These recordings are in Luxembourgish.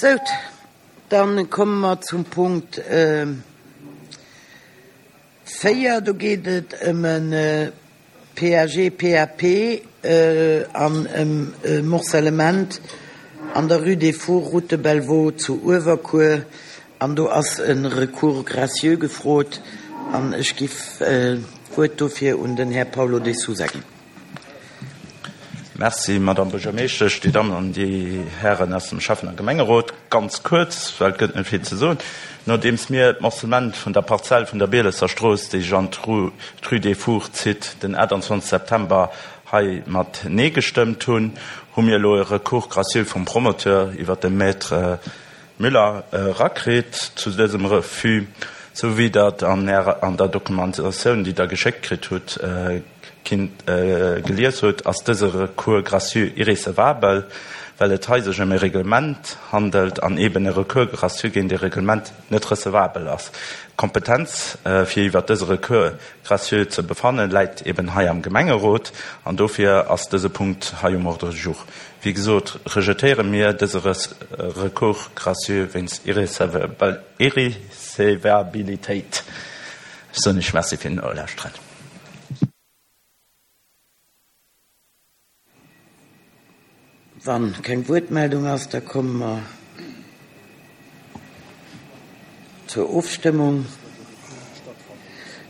Sout, dann komme mer zum Punkt 4. Do geet et ëm e PAG, PAP an ëm e Morcellement an der Rue des Fours, Route de Bellevaux zu Uewerkuer. An do ass e Recours gracieux gefrot an ech giff d'Wuert dofir un den Här Paulo de Sousa ginn. Merci, Madame Buergermeeschtesch, Dir Dammen an Dir Hären aus dem Schäffen a Gemengerot. Ganz kuerz, well et gëtt net vill ze soen. Nodeems mir d'Morcellement vun der Parzell vun der Bielesser Strooss, déi sech an d'Rue des Fours zitt, den 28 September hei mat Nee gestëmmt hunn, hu mir elo e Recours gracieux vum Promoteur iwwert de Maître Müller erakritt zu dësem Refus, sou wéi Der et an Ärer, an der Dokumentatioun, déi Der geschéckt kritt hutt, kinnt gelies hutt, ass dëse Recours gracieux irrecevabel, well et hei sech ëm e Reglement handelt an eeben e Recours gracieux géint e Reglement net recevabel ass. D'Kompetenz, fir iwwert dëse Recours gracieux ze befannen, läit eeben hei am Gemengerot an dofir ass dëse Punkt hei um Ordre du jour. Wéi gesot, rejetéiere mir dëse Recours gracieux wéinst Irrecevabilitéit. Ech soen Iech Merci fir den Nolauschteren. Wa keng Wuertmeldung ass, da komme mer zur Ofstëmmung.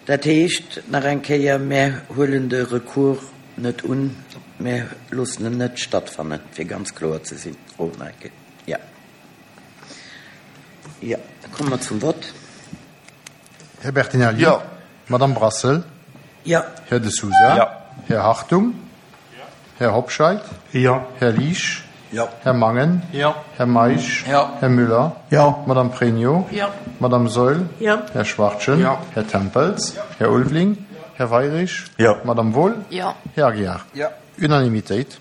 Dat heescht nach eng Kéier, Mär huelen de Recours net un, mär loossen en net stattfannen, fir ganz kloer ze sinn. Oh, nach eng Kéier. Jo. Jo, da komme mer zum Vott. Här Bertinelli? Jo. Madamm Brassel? Jo. Här De Sousa? Jo. Här Hartung? Här Hobscheit? Jo. Här Liesch? Jo. Här Mangen? Jo. Här Meisch? Jo. Här Müller? Jo. Madamm Pregno? Jo. Madamm Saeul? Jo. Här Schwachtgen? Jo. Här Tempels? Jo. Här Ulveling? Här Weirich? Jo. Madamm Wohl? Jo. Här Aguiar? Jo. Unanimitéit.